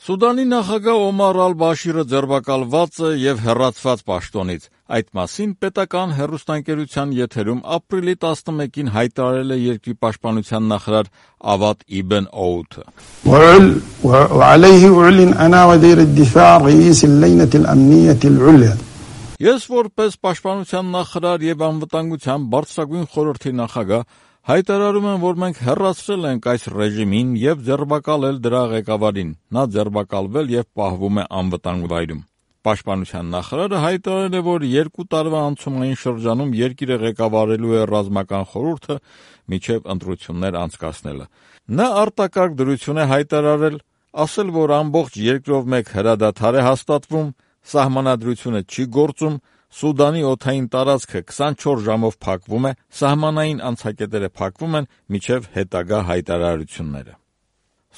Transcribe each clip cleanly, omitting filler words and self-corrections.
Սուդանի նախագահ Օմար ալ-Բաշիրը ձերբակալված է եւ հեռացված պաշտոնից։ Այդ մասին պետական հեռուստաընկերության եթերում ապրիլի 11-ին հայտարարել է երկրի պաշտպանության նախարար Ավադ Իբն Օութը։ Ես որպես պաշտպանության նախարար եւ անվտանգության բարձրագույն խորհրդի նախագահ հայտարարում եմ, որ մենք հեռացրել ենք այս ռեժիմին եւ ձերբակալել դրա ղեկավարին։ Նա ձերբակալվել եւ պահվում է անվտանգ վայրում։ Պաշտպանության նախարարը հայտարարել է, որ 2 տարվա անցումային շրջանում երկիրը ղեկավարելու է ռազմական խորհուրդը մինչև ընտրություններ անցկացնելը։ Նա արտակարգ դրություն է հայտարարել, ասել, որ ամբողջ երկրով մեկ հրադադար է հաստատվում, սահմանադրությունը չի գործում, Սուդանի օդային տարածքը 24 ժամով փակվում է, սահմանային անցակետերը փակվում են մինչև հետագա հայտարարությունները։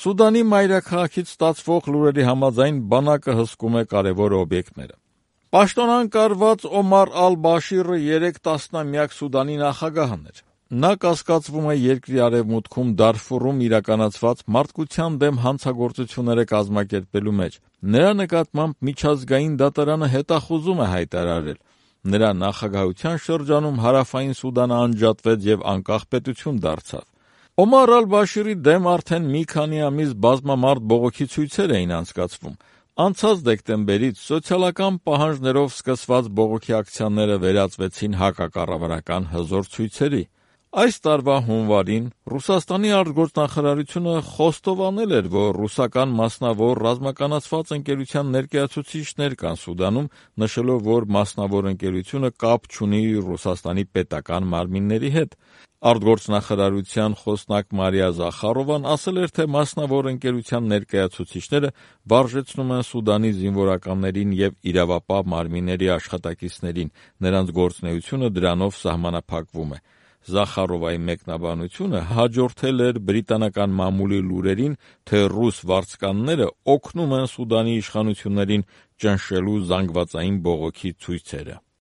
Սուդանի մայրաքաղաքից ստացվող լուրերի համաձայն բանակը հսկում է կարևոր օբյեկտները։ Պաշտոնակարգված Օմար ալ-Բաշիրը 3 տասնամյակ Սուդանի նախագահն էր։ Նա կասկածվում է երկրի արևմուտքում Դարֆուրում իրականացված մարդկության դեմ հանցագործությունները կազմակերպելու մեջ։ Նրա նկատմամբ միջազգային դատարանը հետախուզում է հայտարարել։ Նրա նախագահության շրջանում Հարավային Սուդանը անջատվեց եւ անկախ պետություն դարձավ։ Օմար ալ-Բաշիրի դեմ արդեն մի քանի ամիս բազմամարդ բողոքի ցույցեր էին անցկացվում։ Անցած դեկտեմբերից սոցիալական պահանջներով սկսված բողոքի ակցիաները վերածվեցին հակակառավարական հզոր ցույցերի։ Այս տարվա հունվարին Ռուսաստանի արտգործնախարարությունը խոստովանել էր, որ ռուսական մասնավոր ռազմականացված ընկերության ներկայացուցիչներ կան Սուդանում, նշելով, որ մասնավոր ընկերությունը կապ չունի Ռուսաստանի պետական մարմինների հետ։ Արտգործնախարարության խոսնակ Մարիա Զախարովան ասել էր, թե մասնավոր ընկերության ներկայացուցիչները վարժեցնում են Սուդանի զինվորականներին եւ իրավապահ մարմինների աշխատակիցներին, նրանց գործունեությունը դրանով սահմանափակվում է։ Զախարովայի մեկնաբանությունը հաջորդել էր բրիտանական մամուլի լուրերին, թե ռուս վարձկանները օգնում են Սուդանի իշխանություններին ճնշելու զանգվածային բողոքի ցույցերը։